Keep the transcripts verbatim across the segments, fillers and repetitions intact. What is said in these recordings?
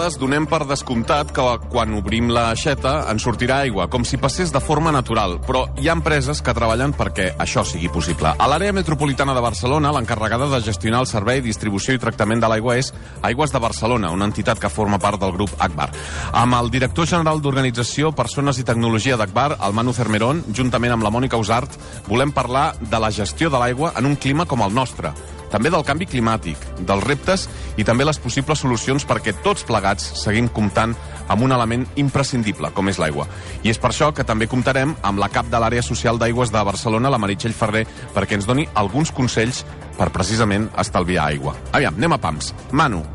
vegades donem per descomptat que quan obrim l'aixeta ens sortirà aigua, com si passés de forma natural, però hi ha empreses que treballen perquè això sigui possible. A l'àrea metropolitana de Barcelona, l'encarregada de gestionar el servei, distribució i tractament de l'aigua és Aigües de Barcelona, una entitat que forma part del grup Agbar. Amb el director general d'Organització, Persones i Tecnologia d'Agbar, el Manu Cermerón, juntament amb la Mònica Usart, volem parlar de la gestió de l'aigua en un clima com el nostre. També del canvi climàtic, dels reptes i també les possibles solucions perquè tots plegats seguim comptant amb un element imprescindible, com és l'aigua. I és per això que també comptarem amb la cap de l'àrea social d'Aigües de Barcelona, la Meritxell Ferrer, perquè ens doni alguns consells per precisament estalviar aigua. Aviam, anem a pams. Manu,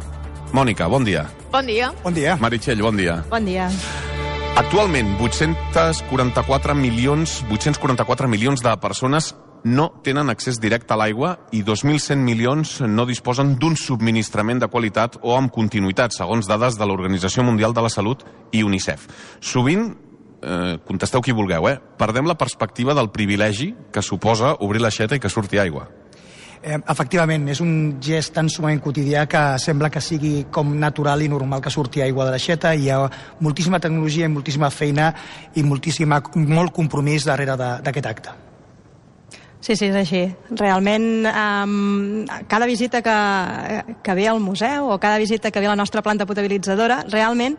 Mònica, bon dia. Bon dia. Bon dia. Meritxell, bon dia. Bon dia. Actualment, vuit-cents quaranta-quatre milions, vuit-cents quaranta-quatre milions de persones no tenen accés directe a l'aigua i dos mil cent milions no disposen d'un subministrament de qualitat o amb continuïtat, segons dades de l'Organització Mundial de la Salut i UNICEF. Sovint, eh, contesteu qui vulgueu, eh, perdem la perspectiva del privilegi que suposa obrir l'aixeta i que surti aigua. Eh, efectivament, és un gest tan sumament quotidià que sembla que sigui com natural i normal que surti aigua de l'aixeta. Hi ha moltíssima tecnologia i moltíssima feina i moltíssima, molt compromís darrere d'aquest acte. Sí, sí, és així. Realment, um, cada visita que, que ve al museu o cada visita que ve a la nostra planta potabilitzadora, realment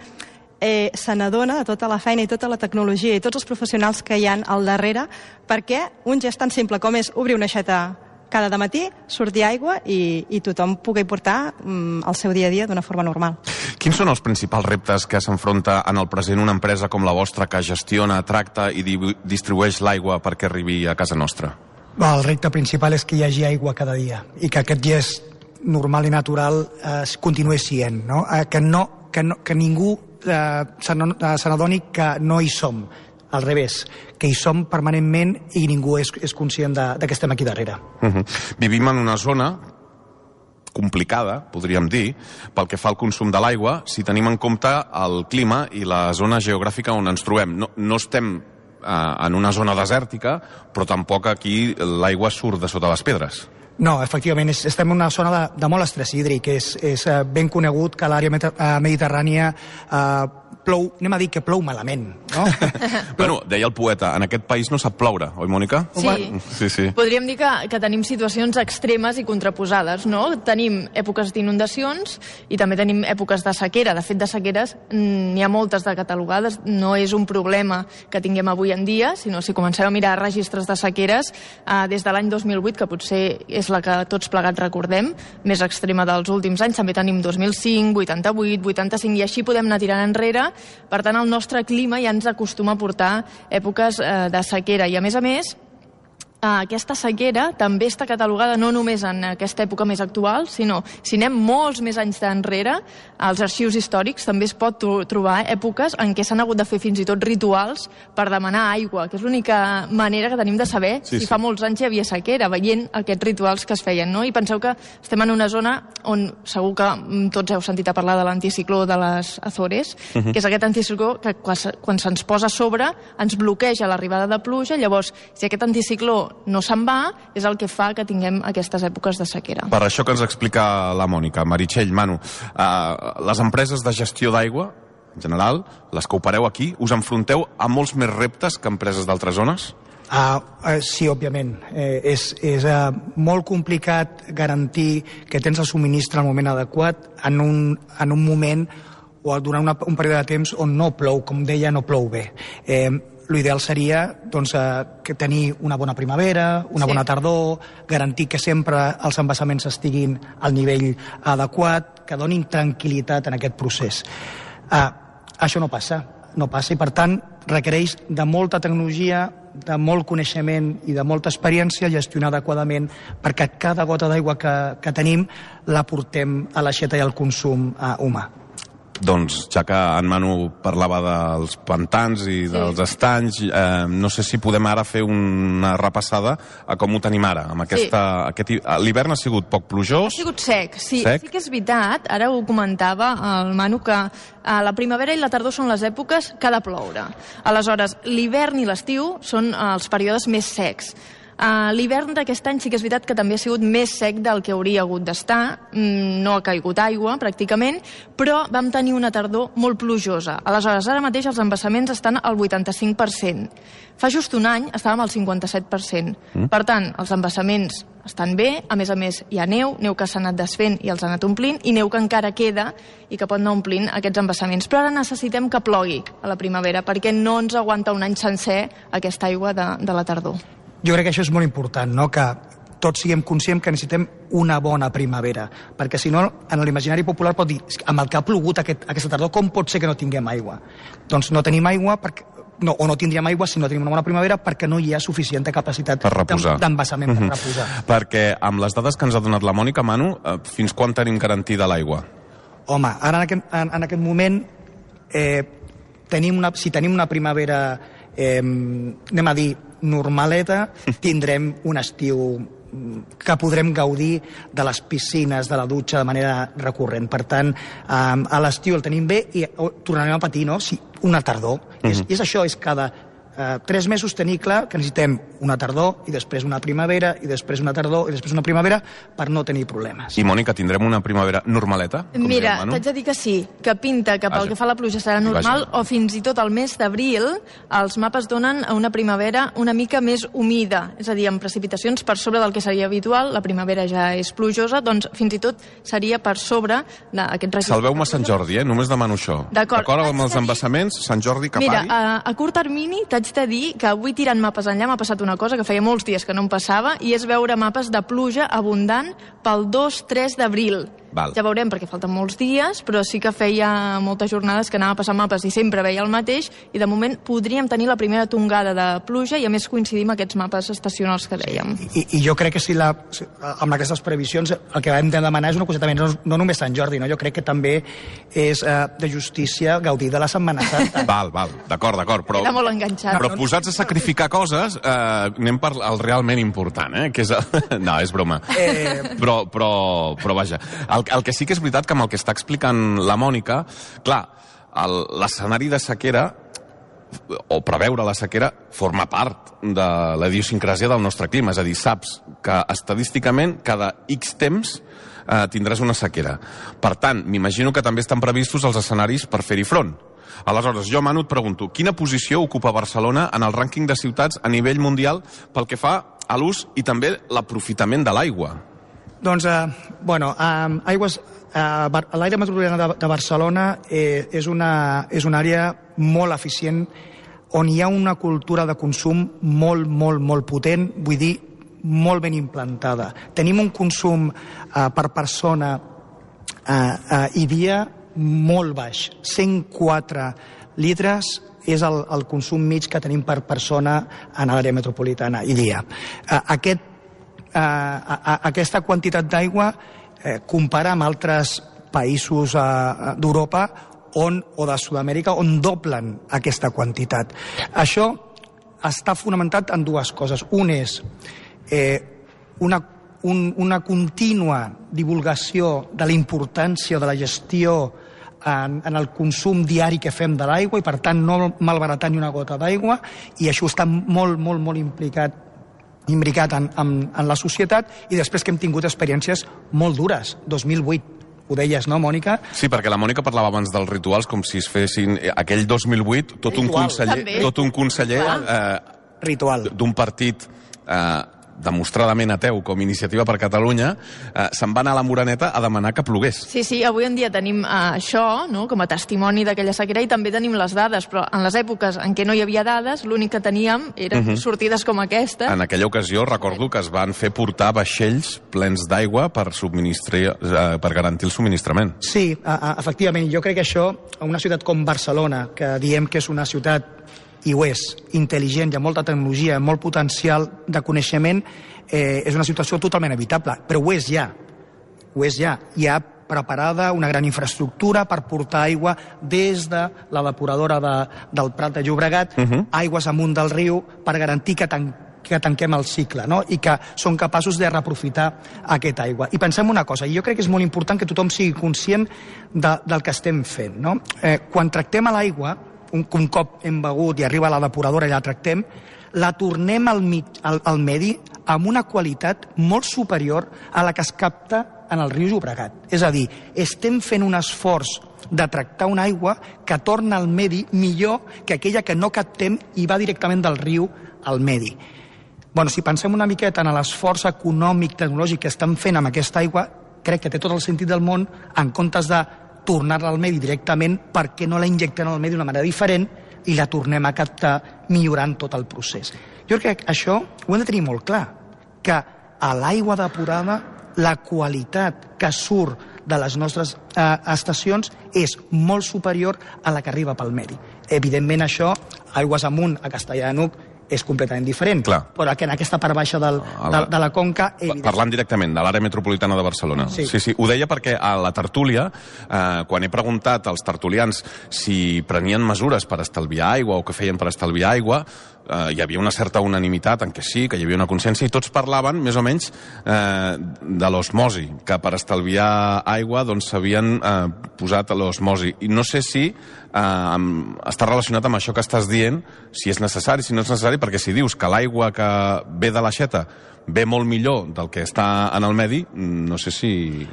eh, se n'adona de tota la feina i tota la tecnologia i tots els professionals que hi han al darrere perquè un gest tan simple com és obrir una aixeta cada dematí, sortir aigua i, i tothom pugui portar um, el seu dia a dia d'una forma normal. Quins són els principals reptes que s'enfronta en el present una empresa com la vostra que gestiona, tracta i di distribueix l'aigua perquè arribi a casa nostra? El repte principal és que hi hagi aigua cada dia i que aquest gest normal i natural eh, continuï sent, no? Eh, que, no, que, no, que ningú eh, se n'adoni que no hi som, al revés, que hi som permanentment i ningú és, és conscient de, de que estem aquí darrere. Uh -huh. Vivim en una zona complicada, podríem dir, pel que fa al consum de l'aigua, si tenim en compte el clima i la zona geogràfica on ens trobem. No, no estem en una zona desèrtica, però tampoc aquí l'aigua surt de sota les pedres. No, efectivament, és, estem en una zona de, de molt estrès hídric. És, és eh, ben conegut que l'àrea mediterrània eh, plou, anem a dir que plou malament, no? Bueno, deia el poeta, en aquest país no sap ploure, oi, Mònica? Sí, sí, sí. Podríem dir que, que tenim situacions extremes i contraposades, no? Tenim èpoques d'inundacions i també tenim èpoques de sequera. De fet, de sequeres n'hi ha moltes de catalogades. No és un problema que tinguem avui en dia, sinó si comencem a mirar registres de sequeres eh, des de l'any dos mil vuit, que potser és la que tots plegats recordem, més extrema dels últims anys. També tenim dos mil cinc, vuitanta-vuit, vuitanta-cinc, i així podem anar tirant enrere. Per tant, el nostre clima ja ens acostuma a portar èpoques eh, de sequera. I, a més a més, aquesta sequera també està catalogada no només en aquesta època més actual, sinó si anem molts més anys d'enrere, als arxius històrics també es pot trobar èpoques en què s'han hagut de fer fins i tot rituals per demanar aigua, que és l'única manera que tenim de saber sí, si sí. fa molts anys hi havia sequera, veient aquests rituals que es feien, no? I penseu que estem en una zona on segur que tots heu sentit a parlar de l'anticicló de les Azores, uh -huh. que és aquest anticicló que quan se'ns posa a sobre ens bloqueja l'arribada de pluja. Llavors, si aquest anticicló no se'n va, és el que fa que tinguem aquestes èpoques de sequera. Per això que ens explica la Mònica. Meritxell, Manu, uh, les empreses de gestió d'aigua, en general, les que opereu aquí, us enfronteu a molts més reptes que empreses d'altres zones? Uh, uh, sí, òbviament. Eh, és és uh, molt complicat garantir que tens el subministre al moment adequat en un, en un moment o durant una, un període de temps on no plou, com deia, no plou bé. Eh, L'ideal seria doncs, eh, que tenir una bona primavera, una sí. bona tardor, garantir que sempre els embassaments estiguin al nivell adequat, que donin tranquil·litat en aquest procés. Eh, això no passa, no passa i per tant requereix de molta tecnologia, de molt coneixement i de molta experiència gestionar adequadament perquè cada gota d'aigua que, que tenim la portem a l'aixeta i al consum eh, humà. Doncs, ja que en Manu parlava dels pantans i dels sí. estanys, eh, no sé si podem ara fer una repassada a com ho tenim ara. Amb aquesta, sí. aquest, l'hivern ha sigut poc plujós. Ha sigut sec, sí. Sec. Sí que és veritat, ara ho comentava el Manu, que eh, la primavera i la tardor són les èpoques que ha de ploure. Aleshores, l'hivern i l'estiu són eh, els períodes més secs. Uh, L'hivern d'aquest any sí que és veritat que també ha sigut més sec del que hauria hagut d'estar, mm, no ha caigut aigua pràcticament, però vam tenir una tardor molt plujosa. Aleshores, ara mateix els embassaments estan al vuitanta-cinc per cent. Fa just un any estàvem al cinquanta-set per cent. Mm. Per tant, els embassaments estan bé, a més a més hi ha neu, neu que s'ha anat desfent i els ha anat omplint, i neu que encara queda i que pot anar omplint aquests embassaments. Però ara necessitem que plogui a la primavera, perquè no ens aguanta un any sencer aquesta aigua de, de la tardor. Jo crec que això és molt important, no? Que tots siguem conscients que necessitem una bona primavera, perquè si no, en l'imaginari popular pot dir, amb el que ha plogut aquest, aquesta tardor, com pot ser que no tinguem aigua? Doncs no tenim aigua, perquè, no, o no tindríem aigua si no tenim una bona primavera, perquè no hi ha suficient capacitat d'embassament per, mm -hmm. per reposar. Perquè amb les dades que ens ha donat la Mònica, Manu, fins quan tenim garantida l'aigua? Home, ara en aquest, en, en aquest moment, eh, tenim una, si tenim una primavera, eh, anem a dir, normaleta, tindrem un estiu que podrem gaudir de les piscines, de la dutxa de manera recurrent. Per tant, a l'estiu el tenim bé i tornarem a patir, no? Sí, una tardor. Mm-hmm. és, és això, és cada eh, tres mesos tenir clar que necessitem una tardor i després una primavera i després una tardor i després una primavera per no tenir problemes. I, Mònica, tindrem una primavera normaleta? Mira, t'haig de dir que sí, que pinta que pel que fa a la pluja serà normal, o fins i tot el mes d'abril els mapes donen una primavera una mica més humida, és a dir, amb precipitacions per sobre del que seria habitual. La primavera ja és plujosa, doncs fins i tot seria per sobre d'aquest registre. Salveu-me Sant Jordi, eh? Només demano això. D'acord amb els embassaments, Sant Jordi que Mira, pari? a, a curt termini t'haig de dir que avui tirant mapes enllà m'ha passat una cosa que feia molts dies que no em passava, i és veure mapes de pluja abundant pel dos tres d'abril. Val. Ja veurem, perquè falten molts dies, però sí que feia moltes jornades que anava a passar mapes i sempre veia el mateix, i de moment podríem tenir la primera tongada de pluja i a més coincidim amb aquests mapes estacionals que dèiem. I, i jo crec que si la, amb aquestes previsions el que hem de demanar és una coseta més, no, no només Sant Jordi, no? Jo crec que també és eh, de justícia gaudir de la Setmana Santa. Val, val, d'acord, d'acord. Però, Era molt enganxat. però posats a sacrificar coses, eh, anem per el realment important, eh? Que és el... No, és broma. Eh... Però, però, però vaja, el, el que sí que és veritat que amb el que està explicant la Mònica, clar, l'escenari de sequera o preveure la sequera forma part de la idiosincràsia del nostre clima, és a dir, saps que estadísticament cada X temps eh, tindràs una sequera. Per tant, m'imagino que també estan previstos els escenaris per fer-hi front. Aleshores, jo, Manu, et pregunto, quina posició ocupa Barcelona en el rànquing de ciutats a nivell mundial pel que fa a l'ús i també l'aprofitament de l'aigua? Doncs, eh, bueno, eh, aigües, eh, l'àrea metropolitana de, de Barcelona eh, és, una, és una àrea molt eficient on hi ha una cultura de consum molt, molt, molt potent, vull dir, molt ben implantada. Tenim un consum eh, per persona eh, eh, i dia molt baix, cent quatre litres és el, el consum mig que tenim per persona en l'àrea metropolitana i dia. Eh, aquest Uh, a, a, aquesta quantitat d'aigua eh, compara amb altres països uh, d'Europa on, o de Sud-amèrica on doblen aquesta quantitat. Això està fonamentat en dues coses. Un és eh, una, un, una contínua divulgació de la importància de la gestió en, en el consum diari que fem de l'aigua i per tant no malbaratar ni una gota d'aigua, i això està molt, molt, molt implicat imbricat en, en, en la societat, i després que hem tingut experiències molt dures. dos mil vuit, ho deies, no, Mònica? Sí, perquè la Mònica parlava abans dels rituals com si es fessin... Aquell dos mil vuit, tot Ritual. un conseller, També. tot un conseller eh, Ritual. d'un partit eh, demostradament ateu com Iniciativa per Catalunya, eh, se'n va anar a la Moreneta a demanar que plogués. Sí, sí, avui en dia tenim eh, això, no?, com a testimoni d'aquella sequera, i també tenim les dades, però en les èpoques en què no hi havia dades, l'únic que teníem eren uh-huh. sortides com aquesta. En aquella ocasió recordo que es van fer portar vaixells plens d'aigua per, subministrar, eh, per garantir el subministrament. Sí, a, a, efectivament. Jo crec que això, a una ciutat com Barcelona, que diem que és una ciutat, i ho és, intel·ligent, hi ha molta tecnologia, molt potencial de coneixement, eh, és una situació totalment evitable, però ho és ja, ho és ja. Hi ha preparada una gran infraestructura per portar aigua des de la depuradora de, del Prat de Llobregat, uh-huh. aigües amunt del riu, per garantir que, tan, que tanquem el cicle, no? I que són capaços de reaprofitar aquesta aigua. I pensem una cosa, i jo crec que és molt important que tothom sigui conscient de, del que estem fent, no? Eh, quan tractem a l'aigua, un, un cop hem begut i arriba a la depuradora i la tractem, la tornem al, mig, al, al medi amb una qualitat molt superior a la que es capta en el riu Llobregat. És a dir, estem fent un esforç de tractar una aigua que torna al medi millor que aquella que no captem i va directament del riu al medi. Bueno, si pensem una miqueta en l'esforç econòmic, tecnològic que estan fent amb aquesta aigua, crec que té tot el sentit del món, en comptes de tornar-la al medi directament, perquè no la injectem al medi d'una manera diferent i la tornem a captar millorant tot el procés. Jo crec que això ho hem de tenir molt clar, que a l'aigua depurada la qualitat que surt de les nostres eh, estacions és molt superior a la que arriba pel medi. Evidentment això, aigües amunt a Castellar de n'Hug, és completament diferent, Clar. però que en aquesta part baixa del, de, de la conca... Evident... Parlant directament de l'àrea metropolitana de Barcelona. Sí. sí, sí. Ho deia perquè a la tertúlia, eh, quan he preguntat als tertulians si prenien mesures per estalviar aigua o què feien per estalviar aigua, eh, hi havia una certa unanimitat en què sí, que hi havia una consciència, i tots parlaven, més o menys, eh, de l'osmosi, que per estalviar aigua doncs s'havien eh, posat a l'osmosi. I no sé si eh, amb, està relacionat amb això que estàs dient, si és necessari, si no és necessari, perquè si dius que l'aigua que ve de l'aixeta ve molt millor del que està en el medi, no sé si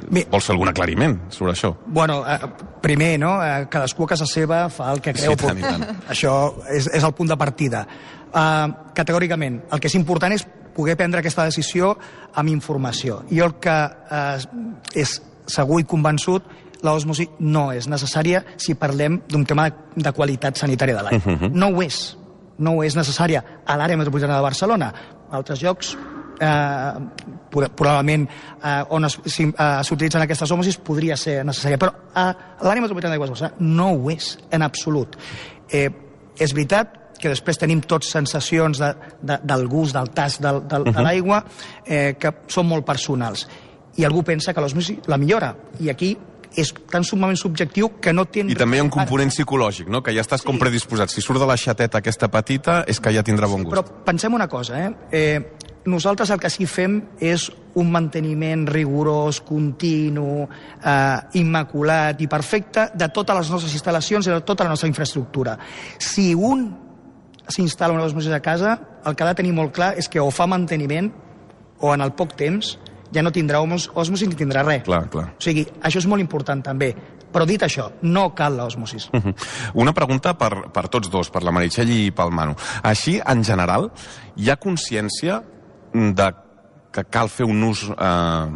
Bé, vols fer algun aclariment sobre això. Bueno, eh, primer, no? Eh, cadascú a casa seva fa el que creu. Sí, tant i tant. Això és, és el punt de partida. Eh, categòricament, el que és important és poder prendre aquesta decisió amb informació. I el que eh, és segur i convençut, l'osmosi no és necessària si parlem d'un tema de, de qualitat sanitària de l'aigua. Uh-huh. No ho és. No ho és necessària a l'àrea metropolitana de Barcelona. A altres llocs, eh, probablement eh, on s'utilitzen aquestes osmosis podria ser necessària, però a l'àrea metropolitana de Barcelona no ho és en absolut. Eh, és veritat que després tenim tots sensacions de, de, del gust, del tast del, del, uh-huh. de l'aigua, eh, que són molt personals. I algú pensa que l'osmosi la millora. I aquí és tan sumament subjectiu que no té... I també hi ha un component psicològic, no? Que ja estàs sí. com predisposat. Si surt de la xateta aquesta petita, és que ja tindrà bon gust. Sí, però pensem una cosa, eh? eh nosaltres el que sí fem és un manteniment rigorós, continu, eh, immaculat i perfecte de totes les nostres instal·lacions i de tota la nostra infraestructura. Si un s'instal·la una osmosi a casa, el que ha de tenir molt clar és que o fa manteniment o en el poc temps ja no tindrà osmosis ni tindrà res. Clar, clar. O sigui, això és molt important també. Però dit això, no cal l'osmosis. Uh -huh. Una pregunta per, per tots dos, per la Meritxell i pel Manu. Així, en general, hi ha consciència de que cal fer un ús eh,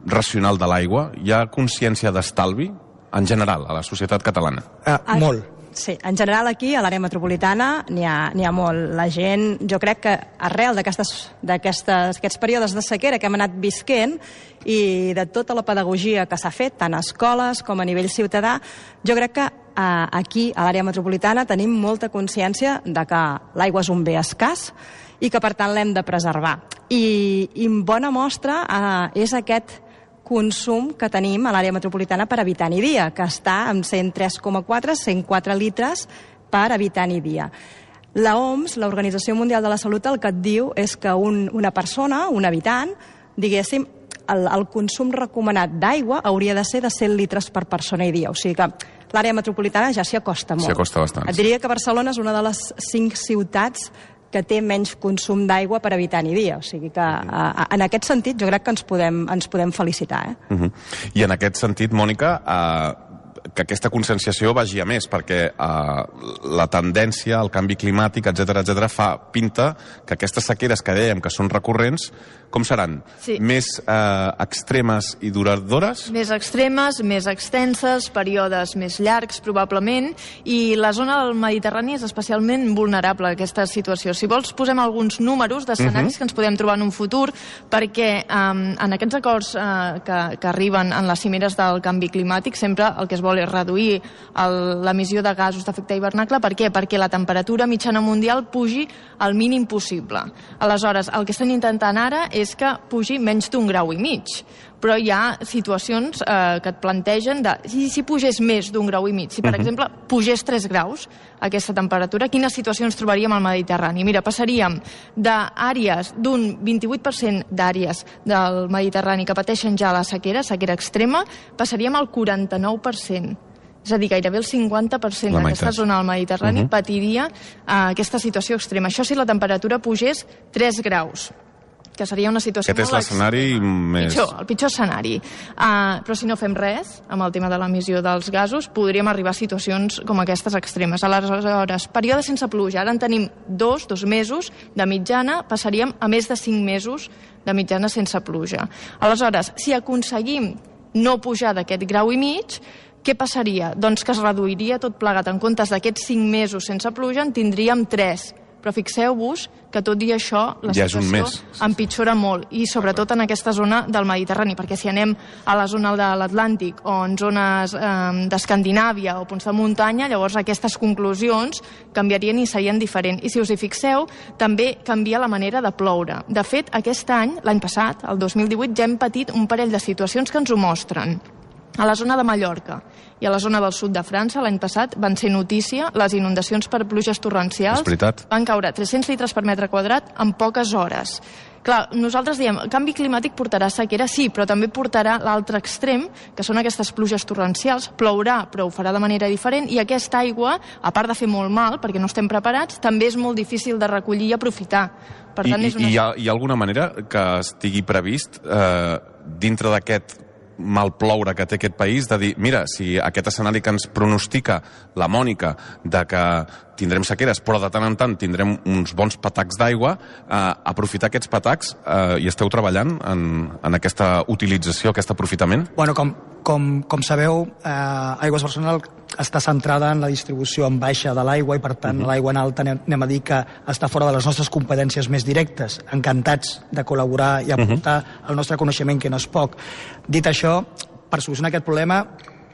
racional de l'aigua? Hi ha consciència d'estalvi, en general, a la societat catalana? Uh, molt. Sí, en general aquí, a l'àrea metropolitana, n'hi ha, n'hi ha molt. La gent, jo crec que arrel d'aquests períodes de sequera que hem anat visquent i de tota la pedagogia que s'ha fet, tant a escoles com a nivell ciutadà, jo crec que eh, aquí, a l'àrea metropolitana, tenim molta consciència de que l'aigua és un bé escàs i que, per tant, l'hem de preservar. I, i bona mostra eh, és aquest consum que tenim a l'àrea metropolitana per habitant i dia, que està en cent tres coma quatre, cent quatre litres per habitant i dia. La O M S, l'Organització Mundial de la Salut, el que et diu és que un, una persona, un habitant, diguéssim, el, el consum recomanat d'aigua hauria de ser de cent litres per persona i dia. O sigui que l'àrea metropolitana ja s'hi acosta molt. S'hi acosta bastant. Et diria que Barcelona és una de les cinc ciutats que té menys consum d'aigua per habitant i dia. O sigui que, a, a, en aquest sentit, jo crec que ens podem, ens podem felicitar. Eh? Uh -huh. I en aquest sentit, Mònica, eh, que aquesta conscienciació vagi a més, perquè eh, la tendència, el canvi climàtic, etcètera, etcètera, fa pinta que aquestes sequeres que dèiem que són recurrents, com seran? Sí. Més eh, extremes i duradores? Més extremes, més extenses, períodes més llargs, probablement, i la zona del Mediterrani és especialment vulnerable a aquesta situació. Si vols, posem alguns números d'escenaris uh-huh. que ens podem trobar en un futur, perquè eh, en aquests acords eh, que, que arriben en les cimeres del canvi climàtic, sempre el que es vol és reduir l'emissió de gasos d'efecte hivernacle. Per què? Perquè la temperatura mitjana mundial pugi al mínim possible. Aleshores, el que estan intentant ara és que pugi menys d'un grau i mig. Però hi ha situacions eh, que et plantegen de si, si pugés més d'un grau i mig, si per uh-huh. exemple pugés tres graus aquesta temperatura, quines situacions trobaríem al Mediterrani? Mira, passaríem d'àrees, d'un vint-i-vuit per cent d'àrees del Mediterrani que pateixen ja la sequera, sequera extrema, passaríem al quaranta-nou per cent. És a dir, gairebé el cinquanta per cent d'aquesta zona del Mediterrani uh-huh. patiria uh, aquesta situació extrema. Això si la temperatura pugés tres graus, que seria una situació molt... Aquest és l'escenari més... Pitjor, el pitjor escenari. Uh, però si no fem res amb el tema de l'emissió dels gasos, podríem arribar a situacions com aquestes extremes. Aleshores, període sense pluja. Ara en tenim dos, dos mesos de mitjana, passaríem a més de cinc mesos de mitjana sense pluja. Aleshores, si aconseguim no pujar d'aquest grau i mig, què passaria? Doncs que es reduiria tot plegat. En comptes d'aquests cinc mesos sense pluja, en tindríem tres. Però fixeu-vos que tot i això la ja situació empitjora molt, i sobretot en aquesta zona del Mediterrani, perquè si anem a la zona de l'Atlàntic o en zones eh, d'Escandinàvia o punts de muntanya, llavors aquestes conclusions canviarien i serien diferents. I si us hi fixeu, també canvia la manera de ploure. De fet, aquest any, l'any passat, el dos mil divuit, ja hem patit un parell de situacions que ens ho mostren. A la zona de Mallorca i a la zona del sud de França, l'any passat, van ser notícia les inundacions per pluges torrencials. Van caure tres-cents litres per metre quadrat en poques hores. Clar, nosaltres diem, el canvi climàtic portarà sequera, sí, però també portarà l'altre extrem, que són aquestes pluges torrencials. Plourà, però ho farà de manera diferent, i aquesta aigua, a part de fer molt mal, perquè no estem preparats, també és molt difícil de recollir i aprofitar. Per tant, I, és una... hi, ha, hi ha alguna manera que estigui previst eh, dintre d'aquest mal ploure que té aquest país, de dir, mira, si aquest escenari que ens pronostica la Mònica de que tindrem sequeres, però de tant en tant tindrem uns bons patacs d'aigua, eh, aprofitar aquests patacs eh, i esteu treballant en, en aquesta utilització, aquest aprofitament? Bueno, com, com, com sabeu, eh, Aigües Barcelona està centrada en la distribució en baixa de l'aigua i, per tant, uh-huh. l'aigua en alta anem a dir que està fora de les nostres competències més directes. Encantats de col·laborar i aportar uh-huh. el nostre coneixement, que no és poc. Dit això, per solucionar aquest problema,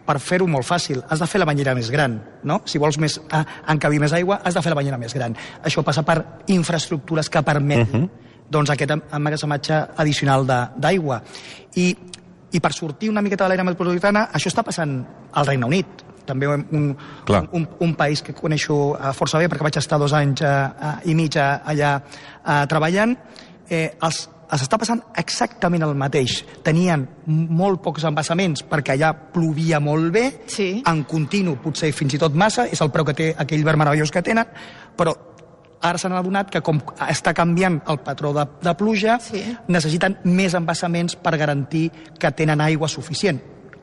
per fer-ho molt fàcil, has de fer la banyera més gran, no? Si vols més, eh, encabir més aigua, has de fer la banyera més gran. Això passa per infraestructures que permetin uh-huh. doncs, aquest emmagatzematge addicional d'aigua. I, I per sortir una miqueta de l'àrea metropolitana, això està passant al Regne Unit. També un, un, un, un país que coneixo força bé, perquè vaig estar dos anys uh, i mig allà uh, treballant. Eh, els s'està passant exactament el mateix. Tenien molt pocs embassaments perquè allà plovia molt bé, sí. en continu, potser fins i tot massa, és el preu que té aquell verd meravellós que tenen, però ara s'han adonat que com està canviant el patró de, de pluja, sí. necessiten més embassaments per garantir que tenen aigua suficient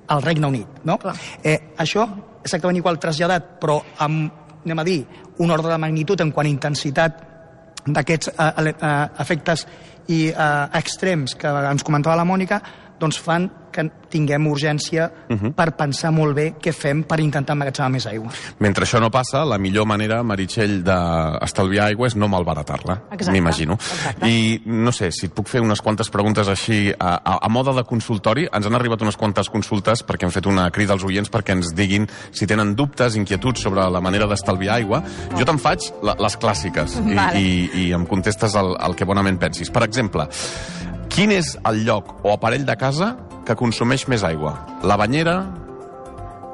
al Regne Unit. No? Eh, això exactament igual traslladat, però amb, anem a dir, un ordre de magnitud en quant a intensitat d'aquests eh, eh, efectes i eh, extrems que ens comentava la Mònica, doncs fan que tinguem urgència uh-huh. per pensar molt bé què fem per intentar emmagatzemar més aigua. Mentre això no passa, la millor manera, Meritxell, d'estalviar aigua és no malbaratar-la, m'imagino. I no sé, si et puc fer unes quantes preguntes així, a, a, a mode de consultori, ens han arribat unes quantes consultes perquè hem fet una crida als oients perquè ens diguin si tenen dubtes, inquietuds sobre la manera d'estalviar aigua. Jo te'n faig la, les clàssiques i, vale. i, i em contestes el, el que bonament pensis. Per exemple, quin és el lloc o aparell de casa que consumeix més aigua? La banyera?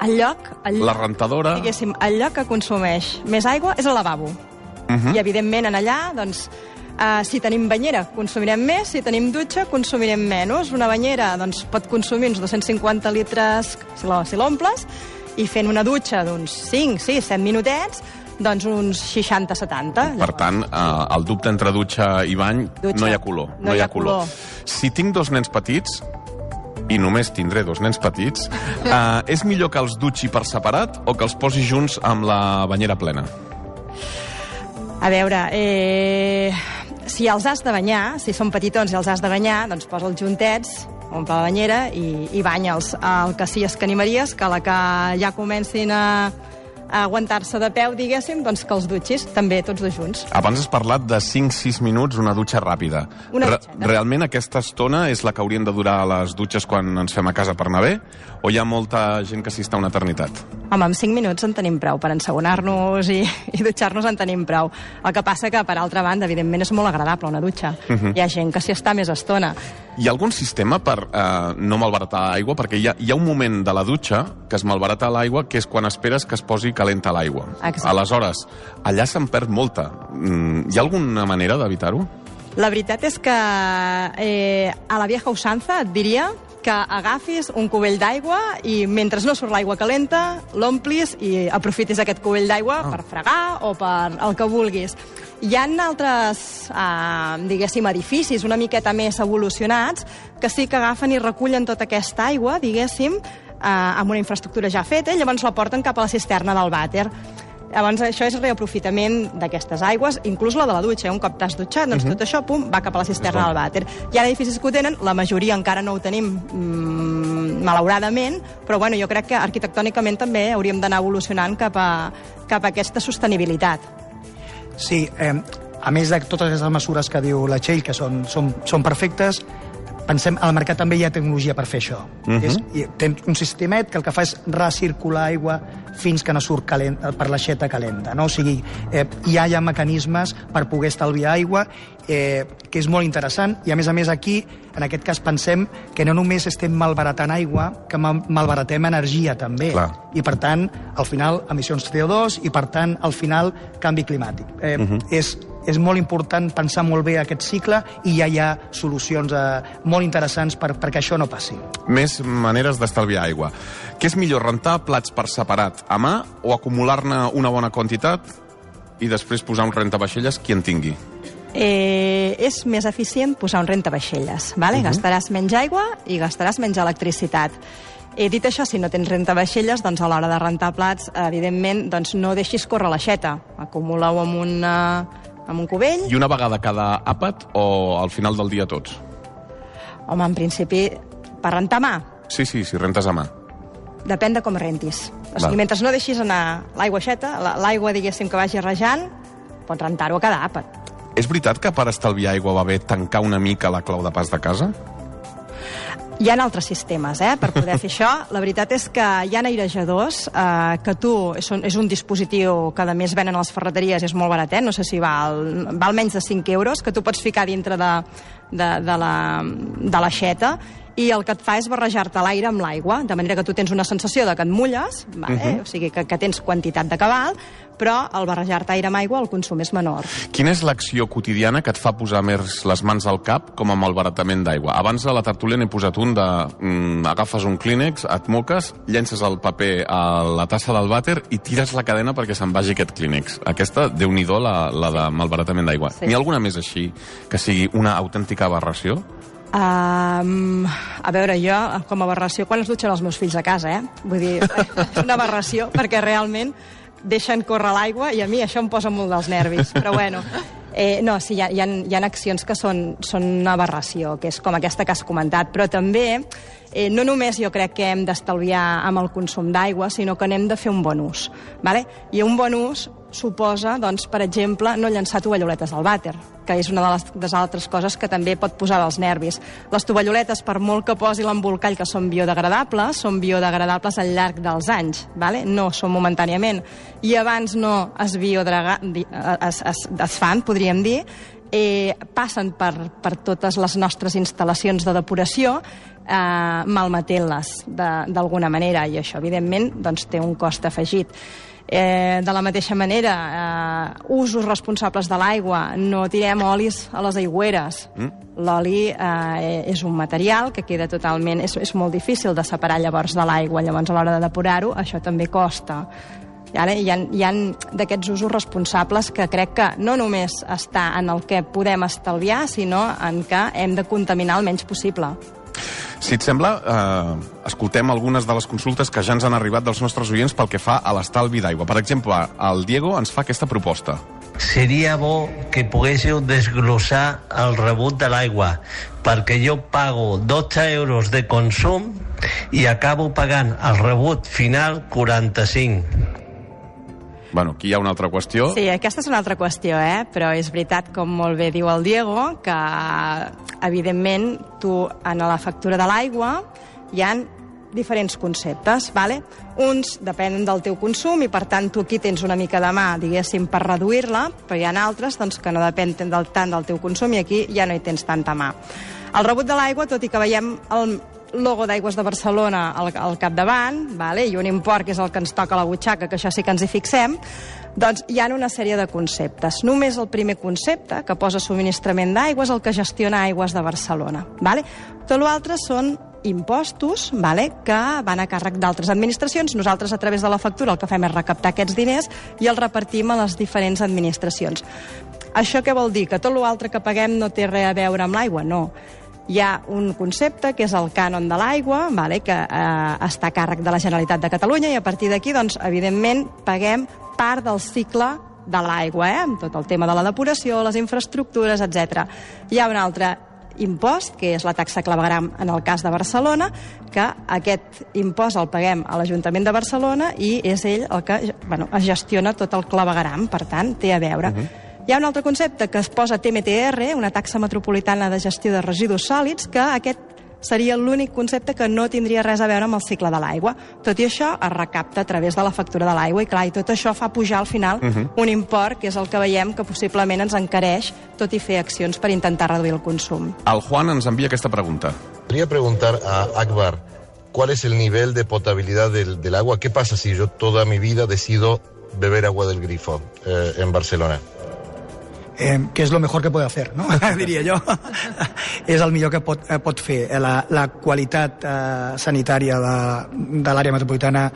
El lloc... El lloc la rentadora? Diguéssim, el lloc que consumeix més aigua és el lavabo. Uh-huh. I, evidentment, en allà, doncs, eh, si tenim banyera, consumirem més, si tenim dutxa, consumirem menys. Una banyera, doncs, pot consumir uns dos-cents cinquanta litres si l'omples, i fent una dutxa d'uns cinc, sis, set minutets, doncs uns seixanta setanta. Per tant, eh, el dubte entre dutxa i bany, dutxa. no hi ha color. No, no hi ha color. color. Si tinc dos nens petits, i només tindré dos nens petits, eh, és millor que els dutxi per separat o que els posi junts amb la banyera plena? A veure, eh, si els has de banyar, si són petitons i els has de banyar, doncs posa'ls juntets, omple la banyera i, i banya'ls. El que sí és que animaries que a la que ja comencin a, a aguantar-se de peu, diguéssim, doncs que els dutxis també tots dos junts. Abans has parlat de cinc sis minuts, una dutxa ràpida. Una Re dutxeta. Realment aquesta estona és la que haurien de durar les dutxes quan ens fem a casa per anar bé? O hi ha molta gent que s'hi està una eternitat? Home, amb cinc minuts en tenim prou. Per ensabonar-nos i, i dutxar-nos en tenim prou. El que passa que, per altra banda, evidentment és molt agradable una dutxa. Uh-huh. Hi ha gent que s'hi està més estona. Hi ha algun sistema per eh, no malbaratar aigua? Perquè hi ha, hi ha un moment de la dutxa que es malbarata l'aigua, que és quan esperes que es posi calenta l'aigua. Aleshores, allà se'n perd molta. Mm, hi ha alguna manera d'evitar-ho? La veritat és que eh, a la vieja usanza et diria que agafis un cubell d'aigua i mentre no surt l'aigua calenta, l'omplis i aprofitis aquest cubell d'aigua ah. per fregar o per el que vulguis. Hi ha altres, eh, diguéssim, edificis una miqueta més evolucionats que sí que agafen i recullen tota aquesta aigua, diguéssim, eh, amb una infraestructura ja feta i llavors la porten cap a la cisterna del vàter. Llavors, això és reaprofitament d'aquestes aigües, inclús la de la dutxa. Un cop t'has dutxat, doncs uh -huh. tot això, pum, va cap a la cisterna del vàter. Hi ha edificis que ho tenen, la majoria encara no ho tenim, mmm, malauradament, però bueno, jo crec que arquitectònicament també hauríem d'anar evolucionant cap a, cap a aquesta sostenibilitat. Sí, eh, a més de totes aquestes mesures que diu la Txell, que són, són, són perfectes, pensem, al mercat també hi ha tecnologia per fer això. Uh-huh. És, tens un sistemet que el que fa és recircular aigua fins que no surt calent, per l'aixeta calenta. No? O sigui, eh, ja hi ha mecanismes per poder estalviar aigua, eh, que és molt interessant, i a més a més aquí, en aquest cas, pensem que no només estem malbaratant aigua, que malbaratem energia també. Clar. I per tant, al final, emissions C O dos i per tant, al final, canvi climàtic. Eh, uh-huh. És és molt important pensar molt bé aquest cicle i ja hi ha solucions eh, molt interessants per, perquè això no passi. Més maneres d'estalviar aigua. Què és millor, rentar plats per separat a mà o acumular-ne una bona quantitat i després posar un rentavaixelles qui en tingui? Eh, és més eficient posar un rentavaixelles, ¿vale? Uh-huh. Gastaràs menys aigua i gastaràs menys electricitat. He dit això, si no tens rentavaixelles, doncs a l'hora de rentar plats, evidentment, doncs no deixis córrer l'aixeta. Acumula-ho amb una... amb un cubell. I una vegada cada àpat o al final del dia tots? Home, en principi, per rentar a mà. Sí, sí, si rentes a mà. Depèn de com rentis. O sigui, mentre no deixis anar l'aigua aixeta, l'aigua, diguéssim, que vagi rejant, pots rentar-ho a cada àpat. És veritat que per estalviar aigua va bé tancar una mica la clau de pas de casa? Hi ha altres sistemes, eh, per poder fer això. La veritat és que hi ha airejadors eh, que tu, és un, és un dispositiu que a més venen a les ferreteries, és molt baratet, no sé si val, val menys de cinc euros, que tu pots ficar dintre de, de, de la de l'aixeta, i el que et fa és barrejar-te l'aire amb l'aigua, de manera que tu tens una sensació de que et mulles, vale? uh-huh. O sigui, que, que tens quantitat de cabal, però al barrejar-te aire amb aigua el consum és menor. Quina és l'acció quotidiana que et fa posar més les mans al cap com amb el baratament d'aigua? Abans a la tertúlia n'he posat un de... Mm, agafes un clínex, et moques, llences el paper a la tassa del vàter i tires la cadena perquè se'n vagi aquest clínex. Aquesta, déu-n'hi-do, la, la de malbaratament d'aigua. Sí. N'hi ha alguna més així que sigui una autèntica aberració? Um, a veure, jo, com a aberració, quan es dutxen els meus fills a casa, eh? Vull dir, és una aberració, perquè realment deixen córrer l'aigua i a mi això em posa molt dels nervis. Però bueno, eh, no, sí, hi ha, hi ha, hi ha accions que són, són una aberració, que és com aquesta que has comentat, però també eh, no només jo crec que hem d'estalviar amb el consum d'aigua, sinó que n'hem de fer un bon ús. Vale? I un bon ús suposa, doncs, per exemple, no llançar tovalloletes al vàter, que és una de les, de les altres coses que també pot posar dels nervis. Les tovalloletes, per molt que posi l'embolcall que són biodegradables, són biodegradables al llarg dels anys, vale? No són momentàniament. I abans no es, biodegra... es, es, es fan, podríem dir, eh, passen per, per totes les nostres instal·lacions de depuració, eh, malmetent-les d'alguna manera, i això, evidentment, doncs, té un cost afegit. Eh, de la mateixa manera, eh, usos responsables de l'aigua, no tirem olis a les aigüeres. Mm. L'oli eh, és un material que queda totalment... És, és molt difícil de separar llavors de l'aigua, llavors a l'hora de depurar-ho això també costa. I ara hi ha, hi ha d'aquests usos responsables que crec que no només està en el que podem estalviar, sinó en què hem de contaminar el menys possible. Si et sembla, eh, escoltem algunes de les consultes que ja ens han arribat dels nostres oients pel que fa a l'estalvi d'aigua. Per exemple, el Diego ens fa aquesta proposta. Seria bo que poguéssiu desglossar el rebut de l'aigua, perquè jo pago dotze euros de consum i acabo pagant el rebut final quaranta-cinc. Bueno, aquí hi ha una altra qüestió. Sí, aquesta és una altra qüestió, eh? Però és veritat, com molt bé diu el Diego, que evidentment tu en la factura de l'aigua hi ha diferents conceptes, vale? Uns depenen del teu consum i per tant tu aquí tens una mica de mà, diguéssim, per reduir-la, però hi ha altres doncs, que no depenen del, tant del teu consum i aquí ja no hi tens tanta mà. El rebut de l'aigua, tot i que veiem el logo d'Aigües de Barcelona al, al capdavant, vale? I un import que és el que ens toca a la butxaca, que això sí que ens hi fixem, doncs hi ha una sèrie de conceptes. Només el primer concepte, que posa subministrament d'aigua, és el que gestiona Aigües de Barcelona. Vale? Tot l'altre són impostos, vale, que van a càrrec d'altres administracions. Nosaltres, a través de la factura, el que fem és recaptar aquests diners i els repartim a les diferents administracions. Això què vol dir? Que tot l'altre que paguem no té res a veure amb l'aigua? No. Hi ha un concepte que és el cànon de l'aigua, vale, que eh, està a càrrec de la Generalitat de Catalunya, i a partir d'aquí, doncs, evidentment, paguem part del cicle de l'aigua, eh? Amb tot el tema de la depuració, les infraestructures, etcètera. Hi ha un altre impost, que és la taxa clavegueram en el cas de Barcelona, que aquest impost el paguem a l'Ajuntament de Barcelona i és ell el que, bueno, es gestiona tot el clavegueram, per tant, té a veure. Uh-huh. Hi ha un altre concepte que es posa T M T R, una taxa metropolitana de gestió de residus sòlids, que aquest seria l'únic concepte que no tindria res a veure amb el cicle de l'aigua. Tot i això, es recapta a través de la factura de l'aigua i, clar, i tot això fa pujar al final uh-huh. un import, que és el que veiem que possiblement ens encareix, tot i fer accions per intentar reduir el consum. El Juan ens envia aquesta pregunta. Quería preguntar a Akbar, ¿cuál es el nivel de potabilidad del, del agua? ¿Qué pasa si yo toda mi vida decido beber agua del grifo eh, en Barcelona? Eh, que és el millor que pot fer, no? diria jo. És el millor que pot, eh, pot fer. La, la qualitat eh, sanitària de, de l'àrea metropolitana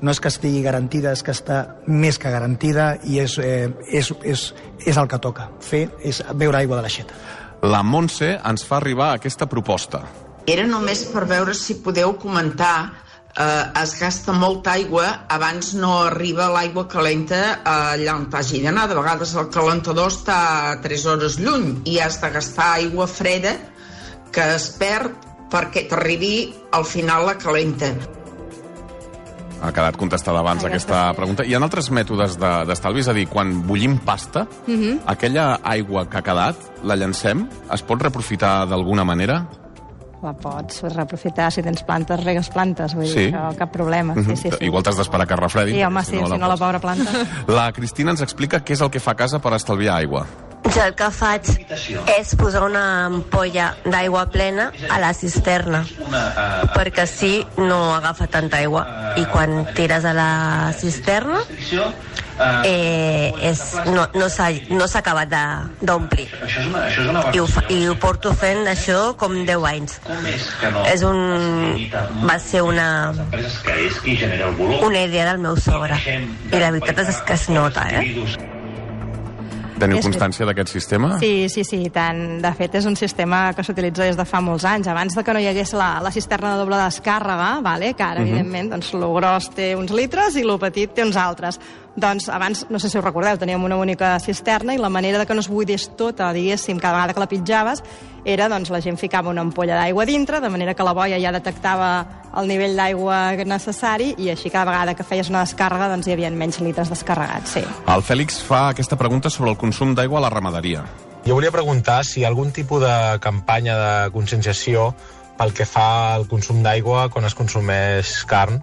no és que estigui garantida, és que està més que garantida i és, eh, és, és, és el que toca fer, és beure aigua de l'aixeta. La Montse ens fa arribar aquesta proposta. Era només per veure si podeu comentar. Eh, es gasta molta aigua, abans no arriba l'aigua calenta allà on t'hagi d'anar. De vegades el calentador està a tres hores lluny i has de gastar aigua freda que es perd perquè t'arribi al final la calenta. Ha quedat contestada abans aquesta pregunta. Hi ha altres mètodes d'estalvi, és a dir, quan bullim pasta, uh-huh. aquella aigua que ha quedat, la llancem, es pot reaprofitar d'alguna manera? La pots reaprofitar, si tens plantes, regues plantes, vull sí. dir, això, cap problema. Uh-huh. sí, sí, sí. Igual t'has d'esperar que es refredi. Sí, home, sí, si no, si no la pobra planta. La Cristina ens explica què és el que fa a casa per estalviar aigua. Jo el que faig és posar una ampolla d'aigua plena a la cisterna, perquè així no agafa tanta aigua. I quan tires a la cisterna, eh, és, no, no s'ha no s'ha acabat d'omplir. I, ho fa, I ho porto fent això com deu anys. És un, va ser una, una idea del meu sogre. I la veritat és que es nota, eh? Teniu constància d'aquest sistema? Sí, sí, sí, tant. De fet, és un sistema que s'utilitza des de fa molts anys. Abans de que no hi hagués la, la cisterna de doble descàrrega, vale? Que ara, uh-huh. evidentment, doncs, lo gros té uns litres i lo petit té uns altres. Doncs abans, no sé si us recordeu, teníem una única cisterna i la manera de que no es buidés tota, diguéssim, cada vegada que la pitjaves, era, doncs, la gent ficava una ampolla d'aigua dintre, de manera que la boia ja detectava el nivell d'aigua necessari i així cada vegada que feies una descàrrega, doncs hi havia menys litres descarregats, sí. El Fèlix fa aquesta pregunta sobre el consum d'aigua a la ramaderia. Jo volia preguntar si hi ha algun tipus de campanya de conscienciació pel que fa al consum d'aigua quan es consumeix carn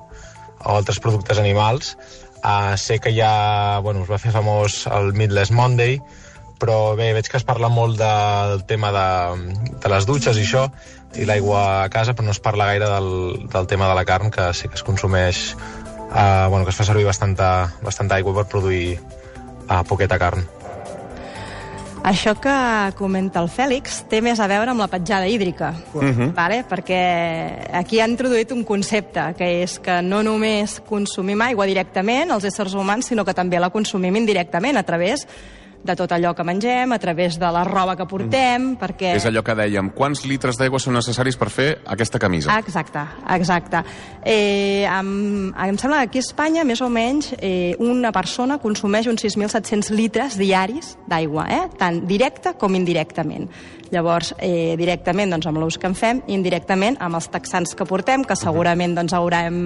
o altres productes animals. Uh, sé que ja, bueno, es va fer famós el Meatless Monday, però bé, veig que es parla molt de, del tema de, de les dutxes i això, i l'aigua a casa, però no es parla gaire del, del tema de la carn, que sé que es consumeix, uh, bueno, que es fa servir bastanta, bastanta aigua per produir uh, poqueta carn. Això que comenta el Fèlix té més a veure amb la petjada hídrica, uh-huh. vale? Perquè aquí ha introduït un concepte, que és que no només consumim aigua directament, els éssers humans, sinó que també la consumim indirectament a través de tot allò que mengem, a través de la roba que portem, mm. perquè... És allò que dèiem, quants litres d'aigua són necessaris per fer aquesta camisa? Exacte, exacte. Eh, em, em sembla que aquí a Espanya, més o menys, eh, una persona consumeix uns sis mil set-cents litres diaris d'aigua, eh? Tant directe com indirectament. Llavors, eh, directament doncs, amb l'ús que en fem, i indirectament amb els texans que portem, que segurament doncs, haurem,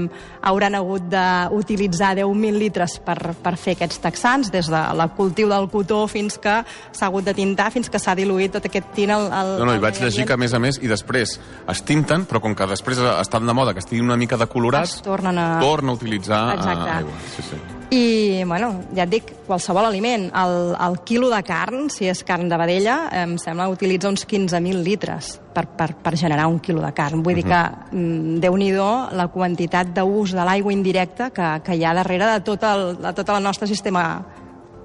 hauran hagut d'utilitzar deu mil litres per, per fer aquests texans, des del cultiu del cotó fins que s'ha hagut de tintar, fins que s'ha diluït tot aquest tint al... al no, no, i vaig llegir que, a més a més, i després es tinten, però com que després estan de moda que estiguin una mica decolorats, es tornen a... torna a utilitzar Exacte. aigua. Sí, sí. I, bueno, ja et dic, qualsevol aliment. El, el quilo de carn, si és carn de vedella, em sembla que utilitza uns quinze mil litres per, per, per generar un quilo de carn. Vull uh-huh. dir que, mm, déu-n'hi-do, la quantitat d'ús de l'aigua indirecta que, que hi ha darrere de tot el, de tot el nostre sistema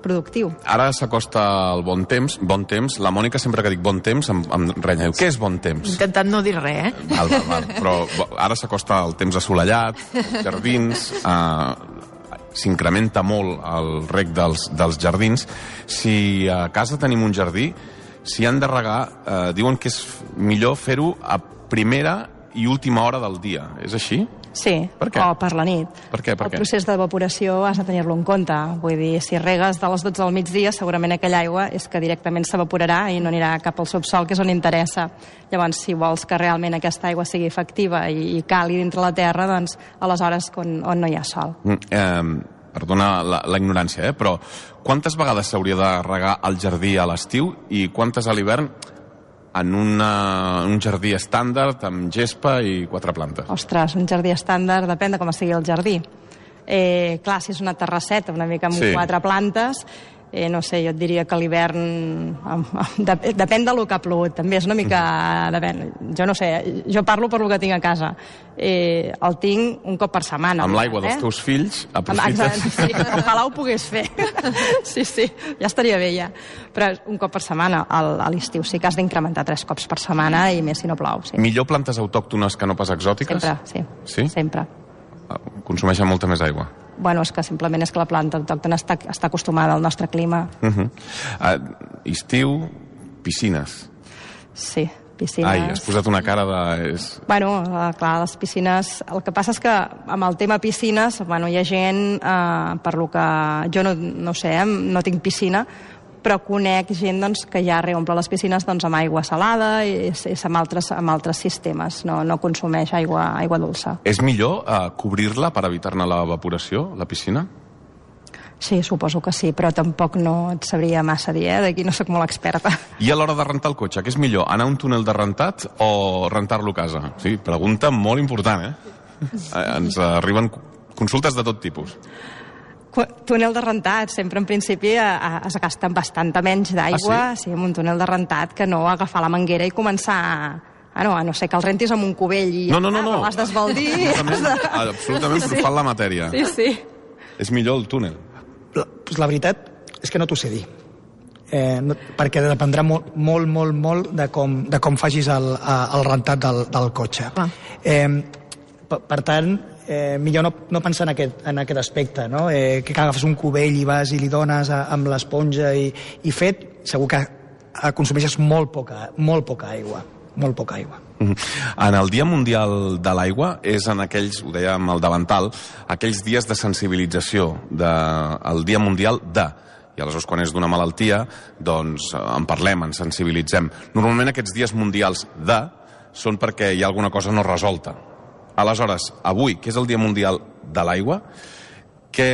productiu. Ara s'acosta el bon temps, bon temps. La Mònica, sempre que dic bon temps, em, em renya. Què és bon temps? Intentant no dir res, eh? Val, val, val. Però ara s'acosta el temps assolellat, els jardins, eh, s'incrementa molt el reg dels, dels jardins. Si a casa tenim un jardí, si han de regar, eh, diuen que és millor fer-ho a primera i última hora del dia. És així? Sí, per què? O per la nit. Per què? Per el què? procés d'evaporació has de tenir-lo en compte. Vull dir, si regues de les dotze del migdia, segurament aquella aigua és que directament s'evaporarà i no anirà cap al subsol, que és on interessa. Llavors, si vols que realment aquesta aigua sigui efectiva i, i cali dintre la terra, doncs aleshores on, on no hi ha sol. Mm, eh, perdona la, la ignorància, eh? Però quantes vegades s'hauria de regar el jardí a l'estiu i quantes a l'hivern en una, un jardí estàndard amb gespa i quatre plantes? Ostres, un jardí estàndard depèn de com estigui el jardí. Eh, clar, si és una terrasseta una mica amb Sí. quatre plantes, eh, no sé, jo et diria que a l'hivern dep depèn del que ha plogut, també és una mica... Depèn. Jo no sé, jo parlo per lo que tinc a casa. Eh, el tinc un cop per setmana. Amb l'aigua dels eh? teus fills, aprofites... Exacte, sí, ojalà ho pogués fer. Sí, sí, ja estaria bé ja. Però un cop per setmana, al- a l'estiu sí que has d'incrementar tres cops per setmana i més si no plou. Sí. Millor plantes autòctones que no pas exòtiques? Sempre, sí. Sí? Sempre. Consumeixen molta més aigua. Bueno, és que simplement és que la planta autòctona està, està acostumada al nostre clima. Uh -huh. uh, estiu, piscines. Sí, piscines... Ai, has posat una cara de... És... Bueno, eh, clar, les piscines... El que passa és que amb el tema piscines, bueno, hi ha gent, eh, per lo que jo no, no sé, eh, no tinc piscina, però conec gent doncs, que ja reomple les piscines doncs, amb aigua salada i és, és amb, altres, amb altres sistemes, no, no consumeix aigua, aigua dolça. És millor uh, cobrir-la per evitar-ne l'evaporació, la piscina? Sí, suposo que sí, però tampoc no et sabria massa dir, eh? D'aquí no sóc molt experta. I a l'hora de rentar el cotxe, què és millor, anar a un túnel de rentat o rentar-lo a casa? Sí, pregunta molt important, eh? eh ens arriben consultes de tot tipus. Túnel de rentat, sempre en principi a, a, es gasta bastanta menys d'aigua, Ah, sí? sí, amb un túnel de rentat que no agafar la manguera i començar a, a, no, a no ser que el rentis amb un cubell i No, no, no, no. l'has d'esbaldir. Absolutament, absolutament Sí, sí. profant la matèria. Sí, sí. És millor el túnel. La, pues la veritat és que no t'ho sé dir. Eh, no, perquè dependrà molt, molt, molt, molt de com, de com facis el, el rentat del, del cotxe. Ah. Eh, per, per tant, eh, millor no, no pensar en aquest, en aquest aspecte, no? Eh, que agafes un cubell i vas i li dones a, amb l'esponja i, i fet, segur que eh, consumeixes molt poca, molt poca aigua, molt poca aigua. En el Dia Mundial de l'Aigua és en aquells, ho deia amb el davantal, aquells dies de sensibilització, de, el Dia Mundial de... I aleshores, quan és d'una malaltia, doncs en parlem, ens sensibilitzem. Normalment aquests dies mundials de són perquè hi ha alguna cosa no resolta. Aleshores, avui, que és el Dia Mundial de l'Aigua, que...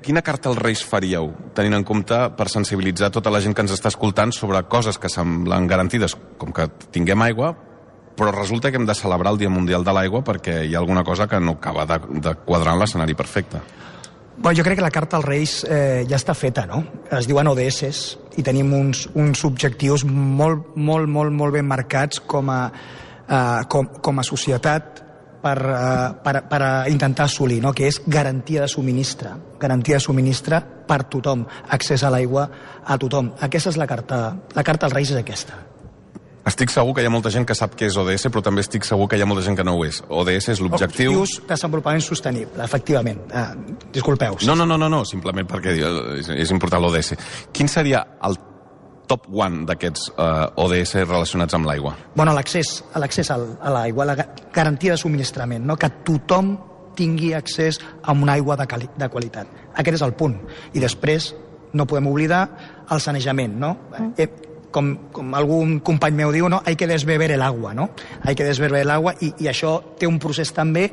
Quina carta als Reis faríeu, tenint en compte per sensibilitzar tota la gent que ens està escoltant sobre coses que semblen garantides, com que tinguem aigua, però resulta que hem de celebrar el Dia Mundial de l'Aigua perquè hi ha alguna cosa que no acaba de, de quadrar en l'escenari perfecte. Bueno, jo crec que la carta als Reis eh, ja està feta, no? Es diuen O D S i tenim uns, uns objectius molt, molt, molt, molt ben marcats com a, eh, com, com a societat per, eh, per, per intentar assolir, no? Que és garantia de subministre, garantia de subministre per tothom, accés a l'aigua a tothom. Aquesta és la carta, la carta als Reis és aquesta. Estic segur que hi ha molta gent que sap què és O D S, però també estic segur que hi ha molta gent que no ho és. O D S és l'objectiu... Objectius de desenvolupament sostenible, efectivament. Eh, disculpeu. No, no, no, no, no, simplement perquè és, és important l'O D S. Quin seria el top one d'aquests uh, O D S relacionats amb l'aigua? Bueno, l'accés a l'accés a l'aigua, la garantia de subministrament, no? Que tothom tingui accés a una aigua de, cali de qualitat. Aquest és el punt. I després no podem oblidar el sanejament, no? Mm. Eh, com, com algun company meu diu, no? Hay que desbeber el agua, no? Hay que desbeber el agua i, i això té un procés també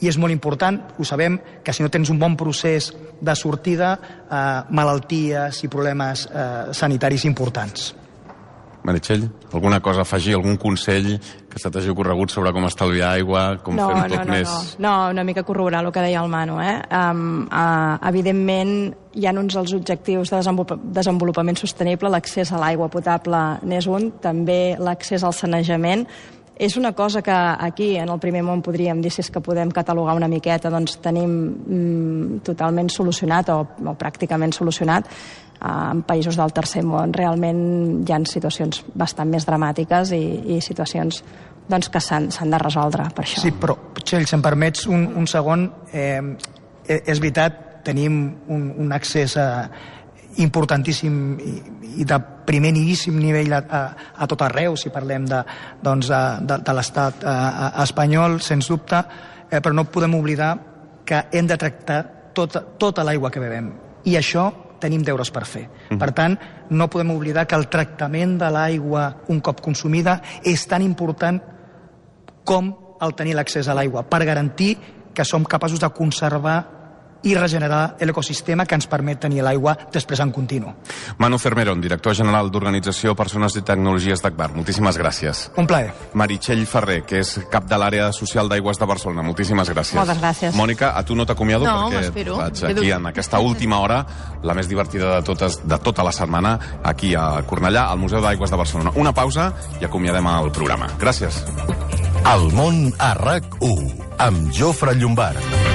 i és molt important, ho sabem, que si no tens un bon procés de sortida, eh, malalties i problemes eh, sanitaris importants. Meritxell, alguna cosa a afegir, algun consell que se t'hagi ocorregut sobre com estalviar aigua, com no, fer-ho no, tot no, més... No, no, una mica corroborar el que deia el Manu. Eh? Um, uh, evidentment, hi ha uns dels objectius de desenvolupament sostenible, l'accés a l'aigua potable n'és un, també l'accés al sanejament. És una cosa que aquí, en el primer món, podríem dir, si és que podem catalogar una miqueta, doncs tenim mm, totalment solucionat o, o pràcticament solucionat. en països del tercer món realment hi ha situacions bastant més dramàtiques i, i situacions doncs, que s'han de resoldre per això. Sí, però, Txell, si em permets un, un segon, eh, és veritat, tenim un, un accés a, importantíssim i, i de primer nivíssim nivell a, a, a tot arreu, si parlem de, doncs, de, de l'estat espanyol, sens dubte, eh, però no podem oblidar que hem de tractar tota, tota l'aigua que bevem. I això tenim deures per fer. Mm-hmm. Per tant, no podem oblidar que el tractament de l'aigua un cop consumida és tan important com el tenir l'accés a l'aigua, per garantir que som capaços de conservar i regenerar l'ecosistema que ens permet tenir l'aigua després en continu. Manu Cermerón, director general d'Organització Persones i Tecnologies d'Agbar. Moltíssimes gràcies. Un plaer. Meritxell Ferrer, que és cap de l'àrea social d'aigües de Barcelona. Moltíssimes gràcies. Moltes gràcies. Mònica, a tu no t'acomiado no, perquè vaig aquí en aquesta última hora, la més divertida de totes de tota la setmana, aquí a Cornellà, al Museu d'Aigües de Barcelona. Una pausa i acomiadem el programa. Gràcies. El món a RAC u, amb Jofre Llombard.